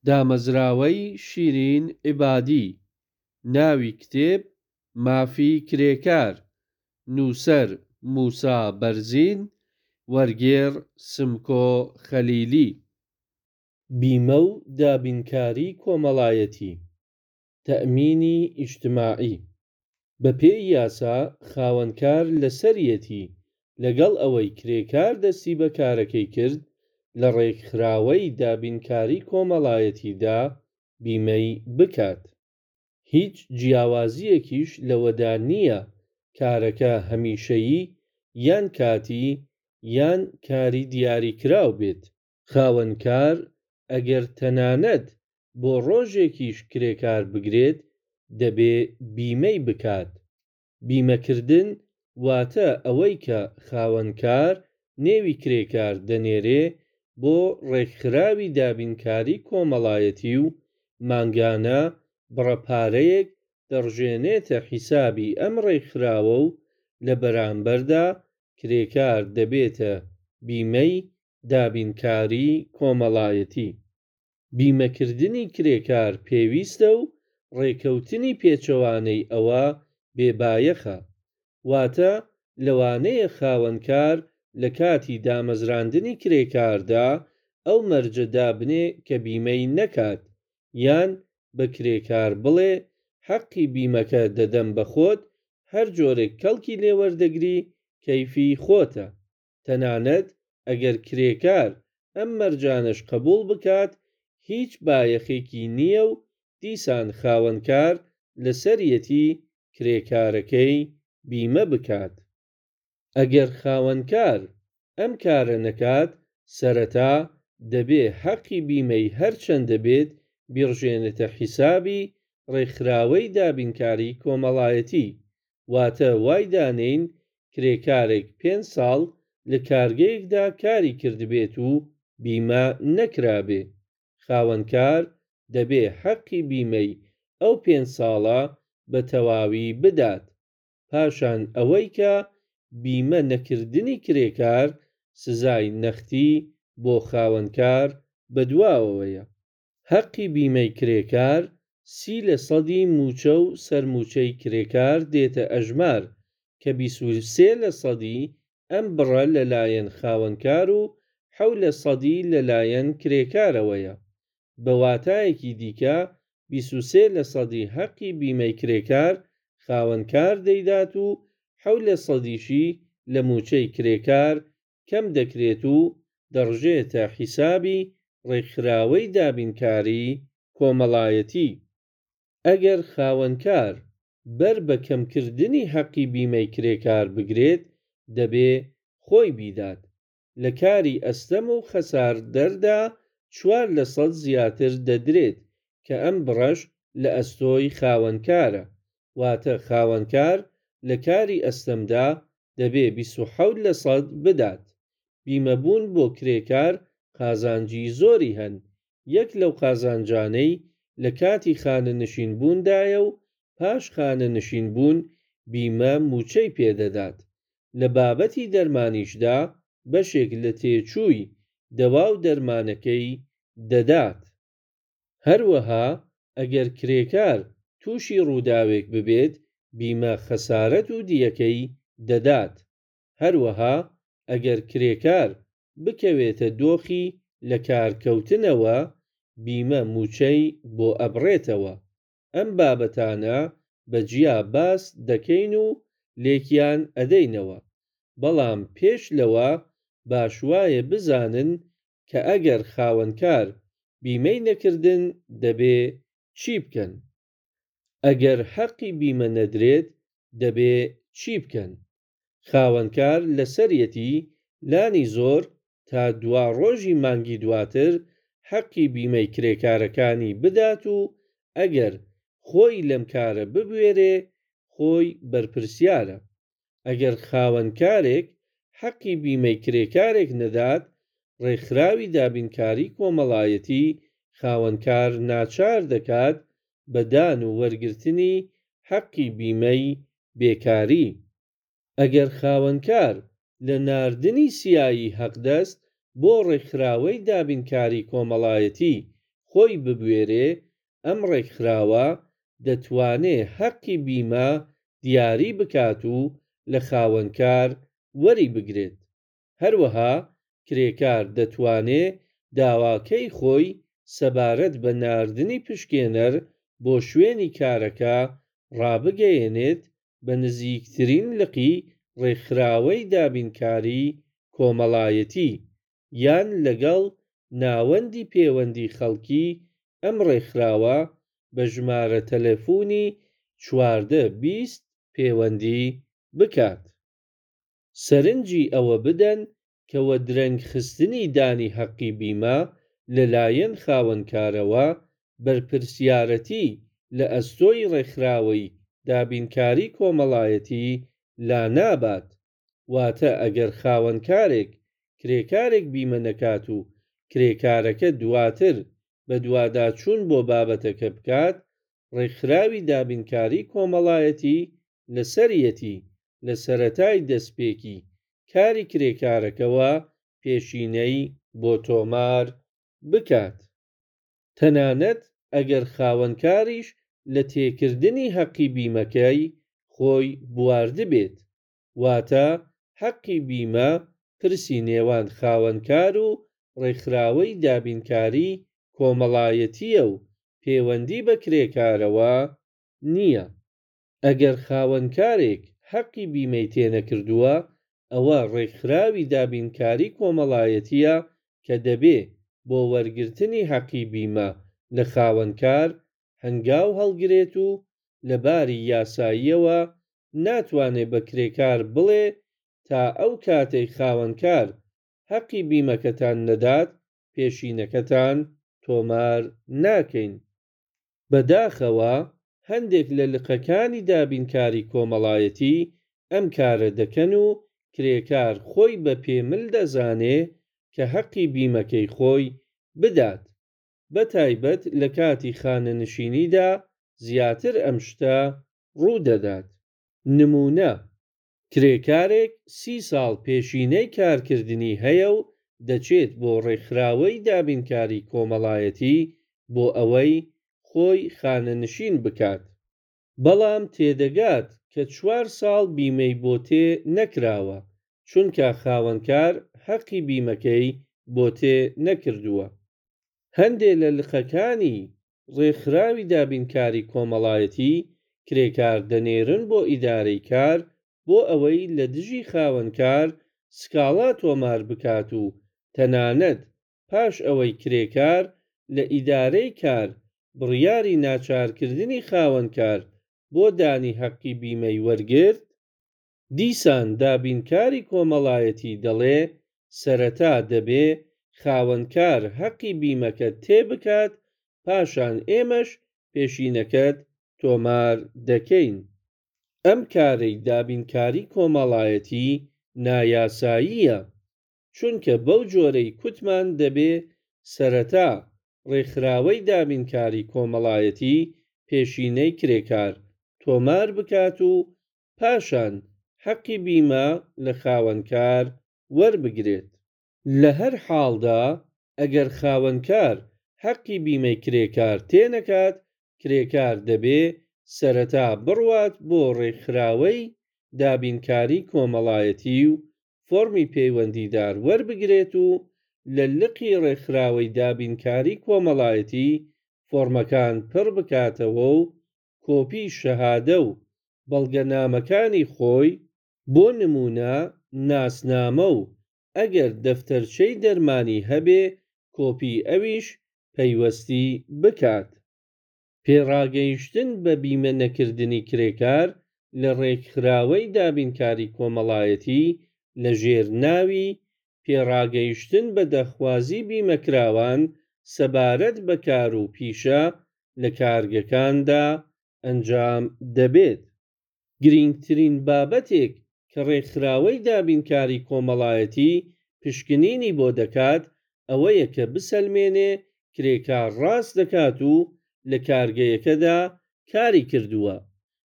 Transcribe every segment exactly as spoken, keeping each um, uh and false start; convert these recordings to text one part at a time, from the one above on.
دامەزراوەی شیرین عیبادی. ناوی کتێب: مافی کرێکار. نووسەر: موسا بەرزین. وەرگێڕ: سمکۆ خەلیلی. بیمە و دابینکاری کۆمەڵایەتی تەئمینی ئیجتماعی. بەپێی یاسا خاوەنکار لەسەریەتی لەگەڵ ئەوەی کرێکار دەستی بە کارەکەی کرد لە ڕێکخراوەی دابینکاری کۆمەڵایەتیدا بیمەی بکات. هیچ جیاوازییەکیش لەوەدا نییە کارەکە هەمیشەیی یان کاتی یان کاری دیاریکراو بێت. خاوەنکار ئەگەر تەنانەت بۆ ڕۆژێکیش کرێکار بگرێت دەبێ بیمەی بکات. بیمەکردن واتە ئەوەی کە خاوەنکار نێوی کرێکار دەنێرێ بۆ ڕێکخراوی دابینکاری کۆمەڵایەتی و مانگانە بڕە پارەیەک دەڕژێنێتە حیسابی ئەم ڕێکخراوە و لە بەرامبەردا کرێکار دەبێتە بیمەی دابینکاری کۆمەڵایەتی. بیمەکردنی کرێکار پێویستە و ڕێکەوتنی پێچەوانەی ئەوە بێ بایەخە. واتە لەوانەیە خاوەنکار لە کاتی دامەزراندنی کرێکاردا ئەو مەرجە دابنێ کە بیمەی نەکات یان بە کرێکار بڵێ حەقی بیمەکە دەدەم بە خۆت هەر جۆرێک کەڵکی لێ وەردەگری کەیفی خۆتە. تەنانەت ئەگەر کرێکار ئەم مەرجانەش قبووڵ بکات هیچ بایەخێکی نییە و دیسان خاوەنکار لەسەریەتی کرێکارەکەی بیمە بکات. ئەگەر خاوەنکار ئەم کارە نەکات سەرەتا دەبێ حەقی بیمەی هەر چەندە بێت بیڕژێنێتە حیسابی ڕێکخراوەی دابینکاری کۆمەڵایەتی. واتە وای دانێین کرێکارێک پێنج ساڵ لە کارگەیەکدا کاری کردبێت و بیمە نەکرابێ. خاوەنکار دەبێ حەقی بیمەی ئەو پێنج ساڵە بە تەواوی بدات. پاشان ئەوەی کە بیمە نەکردنی کرێکار سزای نەختی بۆ خاوەنکار بەدواوەیە. حەقی بیمەی کرێکار سی لە سەدی مووچە و سەرمووچەی کرێکار دێتە ئەژمار کە بیست و سێ لە سەدی ئەم بڕە لە لایەن خاوەنکار و حەوت لە سەدی لە لایەن کرێکارەوەیە. بە واتایەکی دیکە بیست و سێ لە سەدی حەقی بیمەی کرێکار خاوەنکار دەیدات و حەوت لە سەدیشی لە مووچەی کرێکار کەم دەکرێت و دەڕژێتە حیسابی ڕێکخراوەی دابینکاری کۆمەڵایەتی. ئەگەر خاوەنکار بەر بە کەمکردنی حەقی بیمەی کرێکار بگرێت دەبێ خۆی بیدات. لە کاری ئەستەم و خەساردەردا چوار لە سەد زیاتر دەدرێت کە ئەم بڕەش لە ئەستۆی خاوەنکارە. واتە خاوەنکار لە کاری ئەستەمدا دەبێ بیست و حەوت لە سەد بدات. بیمەبوون بۆ کرێکار قازانجی زۆری هەن. یەک لەو قازانجانەی لە کاتی خانەنشینبووندایە و پاش خانەنشینبوون بیمە مووچەی پێدەدات. لە بابەتی دەرمانیشدا بەشێک لە تێچووی دەوا و دەرمانەکەی دەدات. هەروەها ئەگەر کرێکار تووشی ڕووداوێک ببێت بیمە خەسارەت و دیەکەی دەدات. هەروەها ئەگەر کرێکار بکەوێتە دۆخی لەکارکەوتنەوە بیمە مووچەی بۆ ئەبڕێتەوە. ئەم بابەتانە بە جیا باس دەکەین و لێکیان ئەدەینەوە. بەڵام پێش لەوە باش وایە بزانن کە ئەگەر خاوەنکار بیمەی نەکردن دەبێ چی بکەن؟ ئەگەر حەقی بیمە نەدرێت دەبێ چی بکەن؟ خاوەنکار لەسەریەتی لانی زۆر تا دوا ڕۆژی مانگی دواتر حەقی بیمەی کرێکارەکانی بدات و ئەگەر خۆی لەم کارە ببوێرێ خۆی بەرپرسیارە. ئەگەر خاوەنکارێک حەقی بیمەی کرێکارێک نەدات ڕێکخراوی دابینکاری کۆمەڵایەتی خاوەنکار ناچار دەکات بە دان و وەرگرتنی حەقی بیمەی بێکاری. ئەگەر خاوەنکار لە ناردنی سیایی حەقدەست بۆ ڕێکخراوەی دابینکاری کۆمەڵایەتی خۆی ببوێرێ، ئەم ڕێکخراوە دەتوانێ هەقی بیمە دیاری بکات و لە خاوەنکار وەری بگرێت. هەروەها کرێکار دەتوانێ داواکەی خۆی سەبارەت بە ناردنی پشکێنەر بۆ شوێنی کارەکە ڕابگەیەنێت بە نزیکترین لقی ڕێکخراوەی دابینکاری کۆمەڵایەتی، یان لەگەڵ ناوەندی پێوەندی خەڵکی ئەم ڕێکخراوە بە ژمارە تەلەفۆنی چواردە بیست پێوەندی بکات. سەرنجی ئەوە بدەن کە وەدرەنگخستنی دانی هەقی بیمە لە لایەن خاوەنکارەوە بەرپرسیارەتی لە ئەستۆی ڕێکخراوەی دابینکاری کۆمەڵایەتی لانابات. واتە ئەگەر خاوەنکارێک کرێکارێک بیمە نەکات و کرێکارەکە دواتر بەدواداچوون بۆ بابەتەکە بکات، ڕێکخراوی دابینکاری کۆمەڵایەتی لەسەریەتی لە سەرەتای دەستپێکی کاری کرێکارەکەوە پێشینەی بۆ تۆمار بکات. تەنانەت ئەگەر خاوەنکاریش لە تێکردنی هەقی بیمەکەی خۆی بواردبێت. واتە هەقی بیمە پرسی نێوان خاوەنکار و ڕێکخراوەی دابینکاری کۆمەڵایەتییە و پێوەندی بە کرێکارەوە نییە. ئەگەر خاوەنکارێک هەقی بیمەی تێ نەکردووە، ئەوە ڕێکخراوی دابینکاری کۆمەڵایەتییە کە دەبێ بۆ وەرگرتنی هەقی بیمە لە خاوەنکار هەنگاو هەڵگرێت و لە باری یاساییەوە ناتوانێ بە کرێکار بڵێ تا ئەو کاتەی خاوەنکار هەقی بیمەکەتان نەدات پێشینەکەتان تۆمار ناکەین. بەداخەوە هەندێک لە لقەکانی دابینکاری کۆمەڵایەتی ئەم کارە دەکەن و کرێکار خۆی بە پێمل دەزانێ کە هەقی بیمەکەی خۆی بدات. بە تایبەت لە کاتی خانەنشینیدا زیاتر ئەم شتە ڕوو دەدات. نموونە: کرێکارێک سی ساڵ پێشینەی کارکردنی هەیە و دەچێت بۆ ڕێکخراوەی دابینکاری کۆمەڵایەتی بۆ ئەوەی خۆی خانەنشین بکات. بەڵام تێدەگات کە چوار ساڵ بیمەی بۆ تێ نەکراوە، چونکە خاوەنکار هەقی بیمەکەی بۆ تێ نەکردووە. هەندێ لە لقەکانی ڕێکخراوی دابینکاری کۆمەڵایەتی کرێکار دەنێرن بۆ ئیدارەی کار بۆ ئەوەی لە دژی خاوەنکار سکاڵا تۆمار بکات و تەنانەت پاش ئەوەی کرێکار لە ئیدارەی کار بڕیاری ناچارکردنی خاوەنکار بۆ دانی هەقی بیمەی وەرگرت، دیسان دابینکاری کۆمەڵایەتی دەڵێ سەرەتا دەبێ خاوەنکار هەقی بیمەکەت تێ بکات، پاشان ئێمەش پێشینەکەت تۆمار دەکەین. ئەم کارەی دابینکاری کۆمەڵایەتی نایاساییە، چونکە بەو جۆرەی کوتمان دەبێ سەرەتا ڕێکخراوەی دابینکاری کۆمەڵایەتی پێشینەی کرێکار تۆمار بکات و پاشان هەقی بیمە لە خاوەنکار وەربگرێت. لە هەر حاڵدا ئەگەر خاوەنکار هەقی بیمەی کرێکار تێ نەکات، کرێکار دەبێ سەرەتا بڕوات بۆ ڕێکخراوەی دابینکاری کۆمەڵایەتی و فۆڕمی پەیوەندیدار وەربگرێت و لە لقی ڕێکخراوەی دابینکاری کۆمەڵایەتی فۆڕمەکان پڕ بکاتەوە و کۆپی شەهادە و بەڵگەنامەکانی خۆی، بۆ نموونە ناسنامە و ئەگەر دەفتەرچەی دەرمانی هەبێ کۆپی ئەویش پەیوەستی بکات. پێڕاگەیشتن بە بیمە نەکردنی کرێکار لە ڕێکخراوەی دابینکاری کۆمەڵایەتی لە ژێر ناوی پێڕاگەیشتن بە داخوازی بیمەکراوان سەبارەت بە کار و پیشە لە کارگەکاندا ئەنجام دەبێت. گرینگترین بابەتێک کە ڕێکخراوەی دابینکاری کۆمەڵایەتی پشکنینی بۆ دەکات ئەوەیە کە بسەلمێنێ کرێکار ڕاست دەکات و لە کارگەیەکەدا کاری کردووە.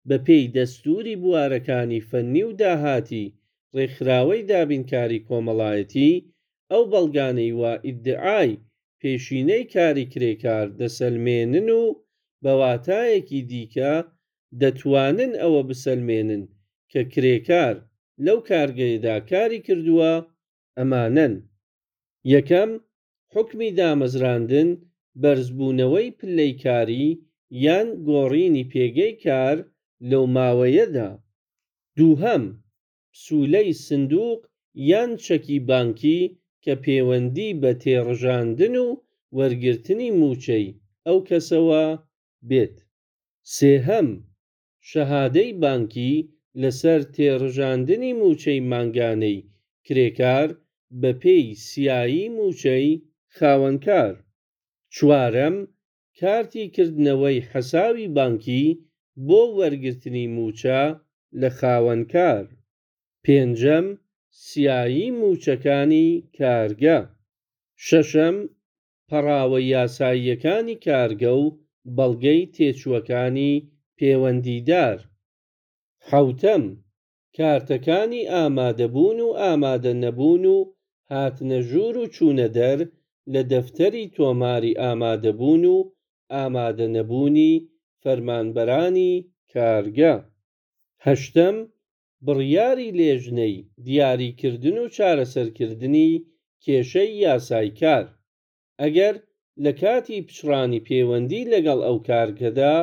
بە پێی دەستووری بوارەکانی فەنی و داهاتی ڕێکخراوەی دابینکاری کۆمەڵایەتی، ئەو بەڵگانەی وا ئیدعای پێشینەی کاری کرێکار دەسەلمێنن و بە واتایەکی دیکە دەتوانن ئەوە بسەلمێنن کە کرێکار لەو کارگەیەدا کاری کردووە، ئەمانەن: یەکەم، حوکمی دامەزراندن، بەرزبوونەوەی پلەی کاری یان گۆڕینی پێگەی کار لەو ماوەیەدا. دووهەم، پسوولەی سندوق یان چەکی بانکی کە پێوەندی بە تێڕژاندن و وەرگرتنی مووچەی ئەو کەسەوە بێت. سێهەم، شەهادەی بانکی لەسەر تێڕژاندنی مووچەی مانگانەی کرێکار بەپێی سیایی مووچەی خاوەنکار. چوارەم، کارتی کردنەوەی حەساوی بانکی بۆ وەرگرتنی مووچە لە خاوەنکار. پێنجەم، سیایی مووچەکانی کارگە. شەشەم، پەڕاوە یاساییەکانی کارگە و بەڵگەی تێچووەکانی پێوەندیدار. حەوتەم، کارتەکانی ئامادەبوون و ئامادەنەبوون و هاتنە ژوور و چوونەدەر لە دەفتەری تۆماری ئامادەبوون و ئامادەنەبوونی فەرمانبەرانی کارگە. هەشتەم، بڕیاری لێژنەی دیاریکردن و چارەسەرکردنی کێشەی یاسای کار، ئەگەر لە کاتی پچڕانی پێوەندی لەگەڵ ئەو کارگەدا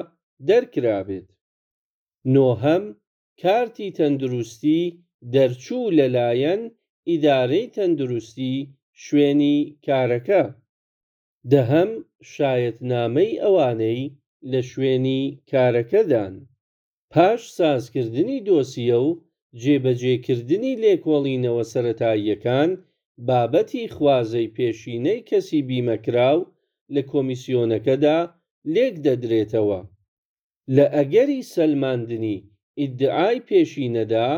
دەرکرابێت. نۆهەم، کارتی تەندروستی دەرچوو لەلایەن ئیدارەی تەندروستی شوێنی کارەکە. دەهەم، شایەتنامەی ئەوانەی لە شوێنی کارەکەدان. پاش سازکردنی دۆسیە و جێبەجێکردنی لێکۆڵینەوە سەرەتاییەکان، بابەتی خوازەی پێشینەی کەسی بیمەکراو لە کۆمیسیۆنەکەدا لێکدەدرێتەوە. لە ئەگەری سەلماندنی ئیدعای پێشینەدا،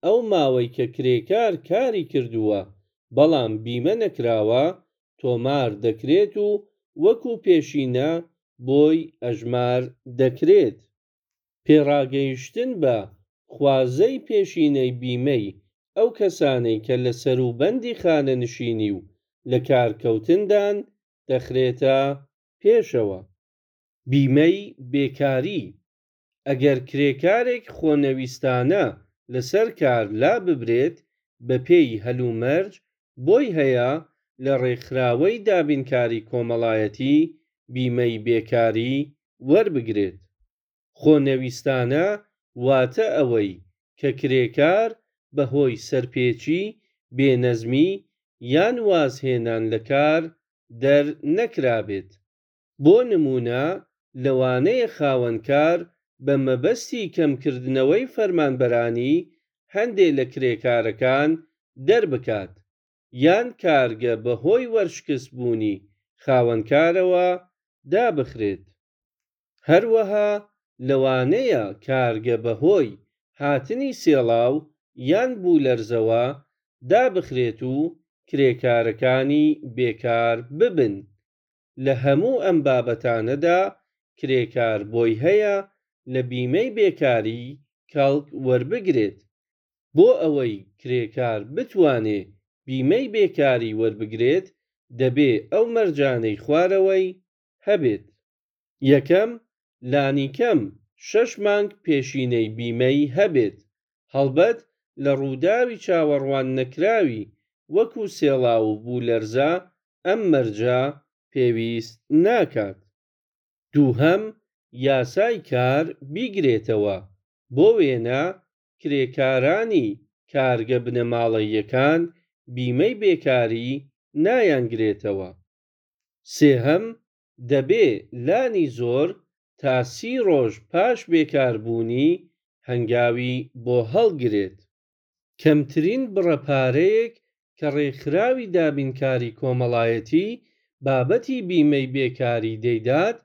ئەو ماوەی کە کرێکار کاری کردووە بەڵام بیمە نەکراوە تۆمار دەکرێت و وەکوو پێشینە بۆی ئەژمار دەکرێت. پێڕاگەیشتن بە خوازەی پێشینەی بیمەی ئەو کەسانەی کە لە سەروبەندی خانەنشینی و لەکارکەوتندان دەخرێتە پێشەوە. بیمەی بێکاری: ئەگەر کرێکارێک خۆنەویستانە لەسەر کار لاببرێت، بەپێی هەلومەرج بۆی هەیە لە ڕێکخراوەی دابینکاری کۆمەڵایەتی بیمەی بێکاری وەربگرێت. خۆنەویستانە واتە ئەوەی کە کرێکار بەهۆی سەرپێچی، بێنەزمی یان وازهێنان لە کار دەرنەکرابێت. بۆ نموونە لەوانەیە خاوەنکار بە مەبەستی کەمکردنەوەی فەرمانبەرانی هەندێ لە کرێکارەکان دەربکات، یان کارگە بەهۆی وەرشکستبوونی خاوەنکارەوە دابخرێت. هەروەها لەوانەیە کارگە بەهۆی هاتنی سێڵاو یان بوومەلەرزەوە دابخرێت و کرێکارەکانی بێکار ببن. لە هەموو ئەم بابەتانەدا کرێکار بۆی هەیە لە بیمەی بێکاری کەڵک وەربگرێت. بۆ ئەوەی کرێکار بتوانێ بیمەی بێکاری وەربگرێت، دەبێ ئەو مەرجانەی خوارەوەی هەبێت: یەکەم، لانیکەم شەش مانگ پێشینەی بیمەی هەبێت، هەڵبەت لە ڕووداوی چاوەڕواننەکراوی وەکوو سێڵاو و بوولەرزە ئەم مەرجە پێویست ناکات. دووهەم، یاسای کار بیگرێتەوە، بۆ وێنە کرێکارانی کارگە بنەماڵەییەکان بیمەی بێکاری نایانگرێتەوە. سێهەم، دەبێ لانی زۆر تا سی ڕۆژ پاش بێکاربوونی هەنگاوی بۆ هەڵگرێت. کەمترین بڕە پارەیەک کە ڕێکخراوی دابینکاری کۆمەڵایەتی بابەتی بیمەی بێکاری دەیدات،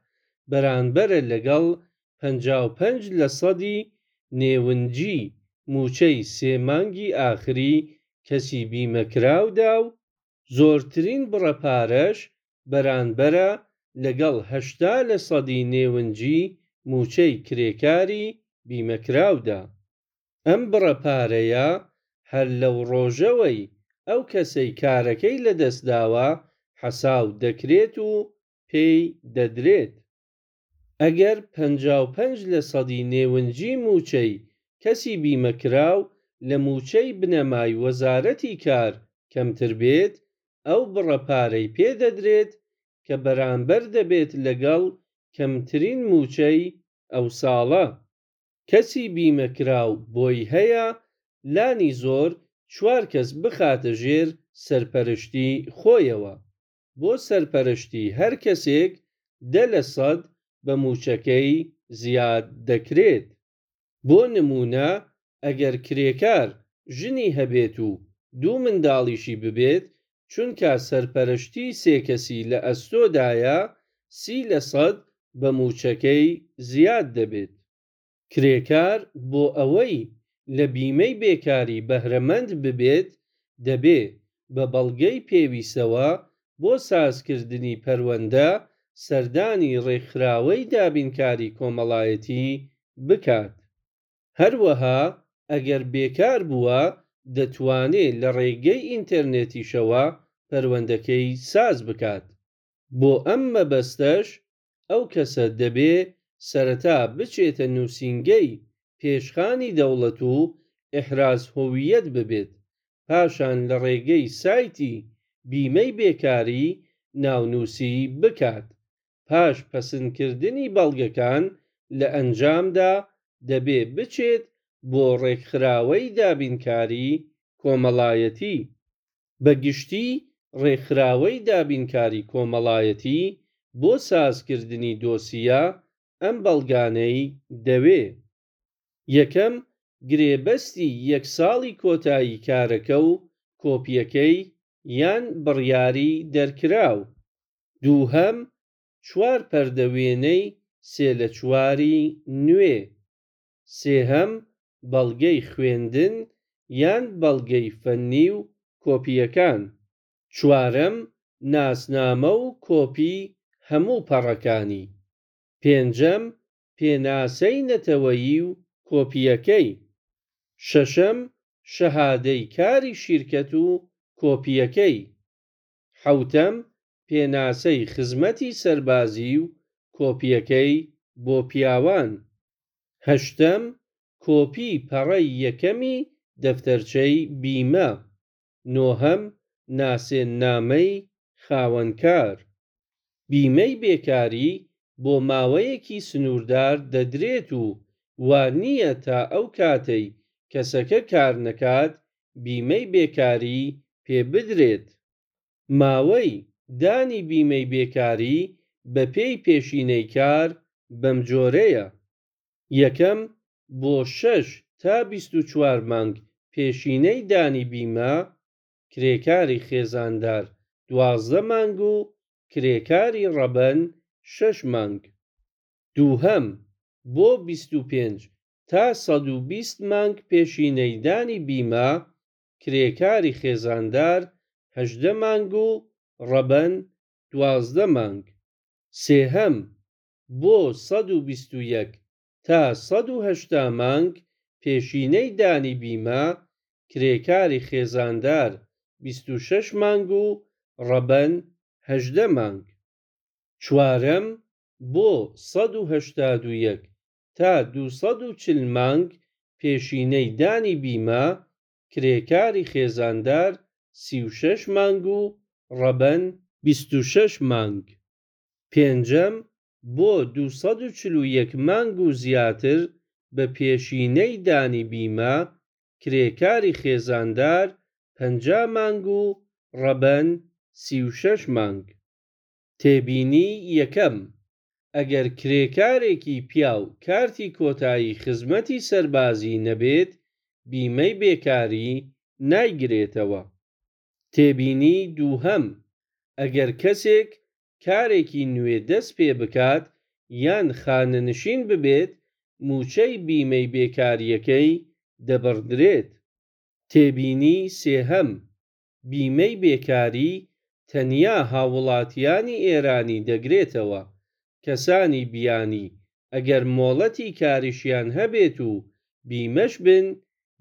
بەرانبەرە لەگەڵ پەنجا و پێنج لەسەدی نێونجی مووچەی سێ مانگی ئاخری کەسی بیمەکراودا و زۆرترین بڕە پارەش بەرانبەرە لەگەڵ هەشتا لەسەدی نێونجی مووچەی کرێکاری بیمەکراودا. ئەم بڕە پارەیە هەر لەو ڕۆژەوەی ئەو کەسەی کارەکەی لەدەست داوە حەساو دەکرێت و پێی دەدرێت. ئەگەر پەنجا و پێنج لە سەدی نێونجی مووچەی کەسی بیمەکراو لە مووچەی بنەمای وەزارەتی کار کەمتر بێت، ئەو بڕە پارەی پێدەدرێت کە بەرامبەر دەبێت لەگەڵ کەمترین مووچەی ئەو ساڵە. کەسی بیمەکراو بۆی هەیە لانی زۆر چوار کەس بخاتە ژێر سەرپەرشتی خۆیەوە، بۆ سەرپەرشتی هەر کەسێک دە لە سەد بە مووچەکەی زیاد دەکرێت. بۆ نموونە ئەگەر کرێکار ژنی هەبێت و دوو منداڵیشی ببێت، چونکا سەرپەرشتی سێ کەسی لە ئەستۆدایە، سی لە سەد بە مووچەکەی زیاد دەبێت. کرێکار بۆ ئەوەی لە بیمەی بێکاری بەهرەمەند ببێت، دەبێ بە بەڵگەی پێویستەوە بۆ سازکردنی پەروەندە سەردانی ڕێکخراوەی دابینکاری کۆمەڵایەتی بکات. هەروەها ئەگەر بێکار بووە دەتوانێ لە ڕێگەی ئینتەرنێتیشەوە پەروەندەکەی ساز بکات. بۆ ئەم مەبەستەش ئەو کەسە دەبێ سەرەتا بچێتە نووسینگەی پێشخانی دەوڵەت و احراز هویت ببێت، پاشان لە ڕێگەی سایتی بیمەی بێکاری ناونووسی بکات. پاش پەسەندکردنی بەڵگەکان لە ئەنجامدا دەبێ بچێت بۆ ڕێکخراوەی دابینکاری کۆمەڵایەتی. بە گشتی ڕێکخراوەی دابینکاری کۆمەڵایەتی بۆ سازکردنی دۆسیە ئەم بەڵگانەی دەوێ: یەکەم، گرێبەستی یەک ساڵی کۆتایی کارەکە و کۆپیەکەی یان بڕیاری دەرکراو. دووهەم، چوار پەردە وێنەی سێ لە چواری نوێ. سێهەم، بەڵگەی خوێندن یان بەڵگەی فەننی و کۆپیەکان. چوارەم، ناسنامە و کۆپی هەموو پەڕەکانی. پێنجەم، پێناسەی نەتەوەیی و کۆپیەکەی. شەشەم، شەهادەی کاری شیرکەت و کۆپیەکەی. حەوتەم، پێناسەی خزمەتی سەربازی و کۆپیەکەی بۆ پیاوان. هەشتەم، کۆپی پەڕەی یەکەمی دەفتەرچەی بیمە. نۆهەم، ناسێننامەی خاوەنکار. بیمەی بێکاری بۆ ماوەیەکی سنووردار دەدرێت و وا نییە تا ئەو کاتەی کەسەکە کار نەکات بیمەی بێکاری پێ بدرێت. ماوەی دانی بیمەی بێکاری بەپێی پێشینەی کار بەم جۆرەیە: یەکەم، بۆ شەش تا بیست و چوار مانگ پێشینەی دانی بیمە، کرێکاری خێزاندار دوازدە مانگ و کرێکاری ڕەبەن شەش مانگ. دووهەم، بۆ بیست و پێنج تا سەد و بیست مانگ پێشینەی دانی بیمە، کرێکاری خێزاندار هەژدە مانگ و ڕەبەن دوازدە مانگ. سێهەم، بۆ سەد و بیست و یەک تا سەد و هەشتا مانگ پێشینەی دانی بیمە، کرێکاری خێزاندار بیست و شەش مانگ و ڕەبەن هەژدە مانگ. چوارەم، بۆ سەد و هەشتا و یەک تا دوو سەد و چل مانگ پێشینەی دانی بیمە، کرێکاری خێزاندار سی و شەش مانگ و ڕەبەن بیست و شەش مانگ. پێنجەم، بۆ دوو سەد و چل و یەک مانگ و زیاتر بە پێشینەی دانی بیمە، کرێکاری خێزاندار پەنجا مانگ و ڕەبەن سی و شەش مانگ. تێبینی یەکەم، ئەگەر کرێکارێکی پیاو کارتی کۆتایی خزمەتی سەربازی نەبێت، بیمەی بێکاری نایگرێتەوە. تێبینی دووهەم، ئەگەر کەسێک کارێکی نوێ دەست پێ بکات یان خانەنشین ببێت، مووچەی بیمەی بێکاریەکەی دەبڕدرێت. تێبینی سێهەم، بیمەی بێکاری تەنیا هاووڵاتیانی ئێرانی دەگرێتەوە، کەسانی بیانی ئەگەر مۆڵەتی کاریشیان هەبێت و بیمەش بن،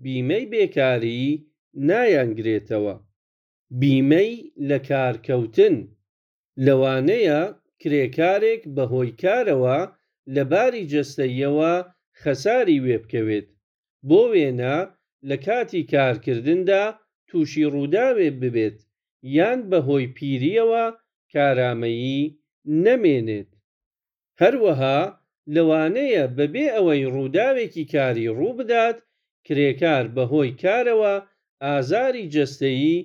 بیمەی بێکاری نایانگرێتەوە. بیمەی لەکارکەوتن. لەوانەیە کرێکارێک بە هۆی کارەوە لە باری جەستەییەوە خەساری وێ بکەوێت. بۆ وێنە لە کاتی کارکردندا تووشی ڕووداوێ ببێت یان بە هۆی پیرییەوە کارامەیی نەمێنێت. هەروەها لەوانەیە بەبێ ئەوەی ڕووداوێکی کاری ڕوو بدات، کرێکار بە هۆی کارەوە ئازاری جەستەیی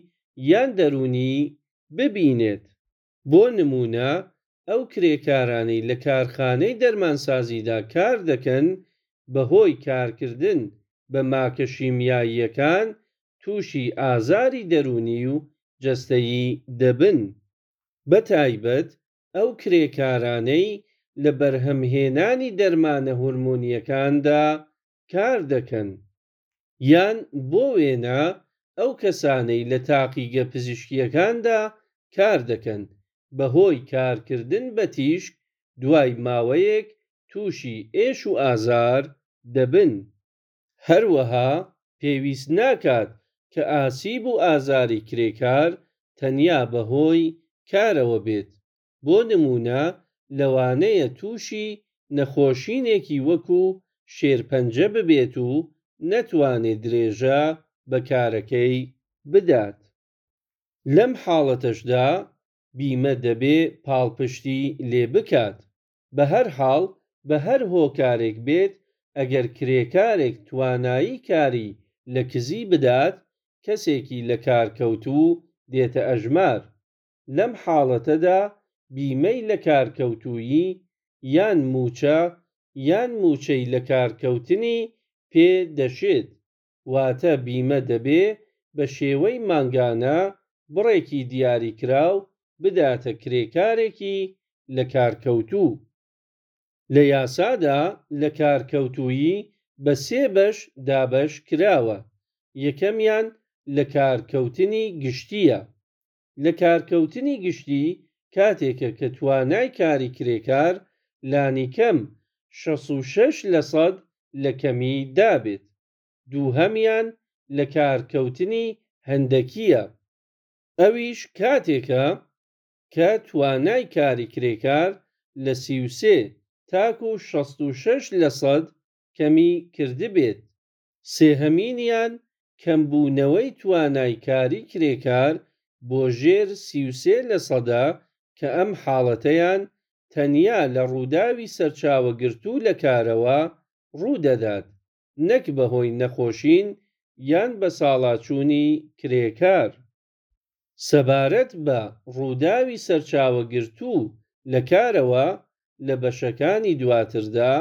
یان دەروونی ببینێت. بۆ نموونە ئەو کرێکارانەی لە کارخانەی دەرمانسازیدا کار دەکەن، بە هۆی کارکردن بە ماکە شیمیاییەکان تووشی ئازاری دەروونی و جەستەیی دەبن. بەتایبەت ئەو کرێکارانەی لە بەرهەمهێنانی دەرمانە هۆرمۆنییەکاندا کار دەکەن. یان بۆ وێنە ئەو کەسانەی لە تاقیگە پزیشکییەکاندا کار دەکەن، بە هۆی کارکردن بە تیشک دوای ماوەیەک تووشی ئێش و ئازار دەبن. هەروەها پێویست ناکات کە ئاسیب و ئازاری کرێکار تەنیا بە هۆی کارەوە بێت. بۆ نموونە لەوانەیە تووشی نەخۆشینێکی وەکوو شێرپەنجە ببێت و نەتوانێ درێژە بە کارەکەی بدات. لەم حاڵەتەشدا بیمە دەبێ پاڵپشتی لێ بکات. بەهەرحاڵ بە هەر هۆکارێک بێت، ئەگەر کرێکارێک توانایی کاری لە کزی بدات، کەسێکی لەکارکەوتوو دێتە ئەژمار. لەم حاڵەتەدا بیمەی لەکارکەوتوویی یان مووچە یان مووچەی لەکارکەوتنی پێ دەشێت. واتە بیمە دەبێ بە شێوەی مانگانە بڕێکی دیاریکراو بداتە کرێکارێکی لەکارکەوتوو. لە یاسادا لەکارکەوتوویی بە سێ بەش دابەش کراوە. یەکەمیان لەکارکەوتنی گشتییە. لەکارکەوتنی گشتی کاتێکە کە توانای کاری کرێکار لانیکەم شەست و شەش لەسەد لە کەمی دابێت. دووهەمیان لەکارکەوتنی هەندەکییە. ئەویش کاتێکە کە توانای کاری کرێکار لە سی و سێ تاکوو شەست و شەش لەسەد کەمی کردبێت. سێهەمینیان کەمبوونەوەی توانای کاری کرێکار بۆ ژێر سی و سێ لەسەدە کە ئەم حاڵەتەیان تەنیا لە ڕووداوی سەرچاوەگرتوو لە کارەوە ڕوو دەدات، نەک بە هۆی نەخۆشین یان بەساڵاچوونی کرێکار. سەبارەت بە ڕووداوی سەرچاوەگرتوو لە کارەوە لە بەشەکانی دواتردا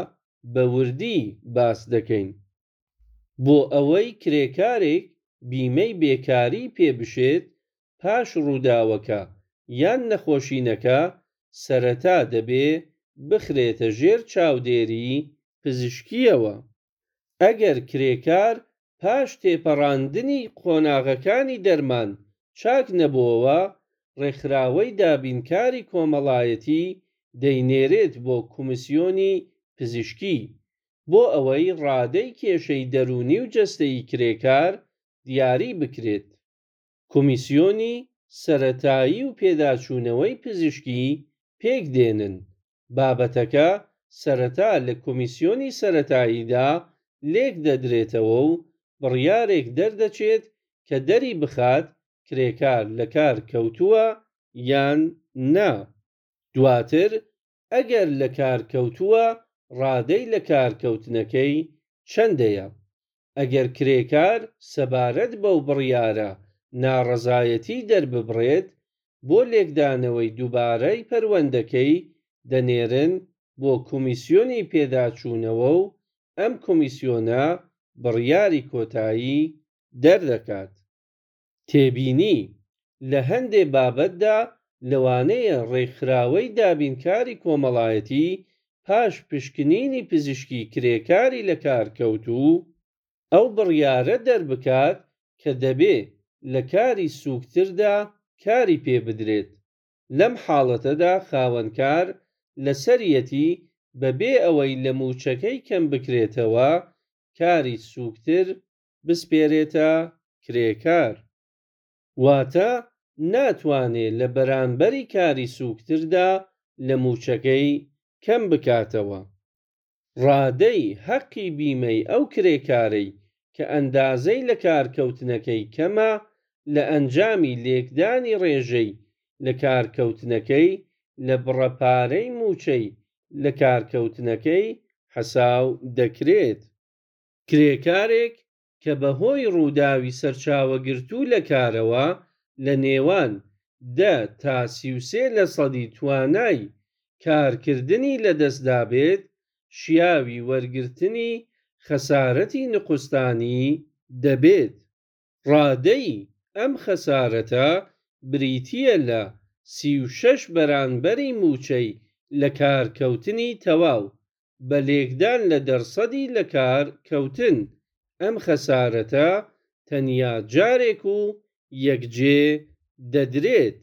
بە وردی باس دەکەین. بۆ ئەوەی کرێکارێک بیمەی بێکاریی پێ بشێت، پاش ڕووداوەکە یان نەخۆشینەکە، سەرەتا دەبێ بخرێتە ژێر چاودێریی پزیشکییەوە. ئەگەر کرێکار پاش تێپەڕاندنی قۆناغەکانی دەرمان چاک نەبۆوە، ڕێکخراوەی دابینکاری کۆمەڵایەتی دەینێرێت بۆ کۆمیسیۆنی پزیشکی، بۆ ئەوەی ڕادەی کێشەی دەروونی و جەستەیی کرێکار دیاری بکرێت. کۆمیسیۆنی سەرەتایی و پێداچوونەوەی پزیشکی پێک دێنن. بابەتەکە سەرەتا لە کۆمیسیۆنی سەرەتاییدا لێک دەدرێتەوە و بڕیارێک دەردەچێت کە دەری بخات کرێکار لە کار کەوتووە یان نا. دواتر ئەگەر لە کار کەوتووە ڕادەی لەکارکەوتنەکەی چەندەیە. ئەگەر کرێکار سەبارەت بەو بڕیارە ناڕەزایەتی دەرببڕێت، بۆ لێکدانەوەی دووبارەی پەروەندەکەی دەنێرن بۆ کۆمیسیۆنی پێداچوونەوە و ئەم کۆمیسیۆنە بڕیاری کۆتایی دەردەکات. تێبینی: لە هەندێ بابەتدا لەوانەیە ڕێکخراوەی دابینکاری کۆمەڵایەتی پاش پشکنینی پزیشکی کرێکاری لەکارکەوتوو، ئەو بڕیارە دەربکات کە دەبێ لە کاری سووکتردا کاری پێ بدرێت. لەم حاڵەتەدا خاوەنکار لەسەریەتی بەبێ ئەوەی لە مووچەکەی کەم بکرێتەوە کاری سووکتر بسپێرێتە کرێکار. واتە ناتوانێ لە بەرانبەری کاری سووکتردا لە مووچەکەی کەم بکاتەوە. ڕادەی هەقی بیمەی ئەو کرێکارەی کە ئەندازەی لەکارکەوتنەکەی کەمە، لە ئەنجامی لێکدانی ڕێژەی لەکارکەوتنەکەی لە بڕە پارەی مووچەی لەکارکەوتنەکەی حەساو دەکرێت. کرێکارێک کە بە هۆی ڕووداوی سەرچاوەگرتوو لە کارەوە لە نێوان دە تا سی و سێ لەسەدی توانای کارکردنی لەدەست دابێت، شیاوی وەرگرتنی خەسارەتی نوقستانی دەبێت. ڕادەی ئەم خەسارەتە بریتییە لە سی و شەش بەرانبەری مووچەی لەکارکەوتنی تەواو، بە لێکدان لە دەرسەدی لەکارکەوتن. ئەم خەسارەتە تەنیا جارێک و یەک جێ دەدرێت.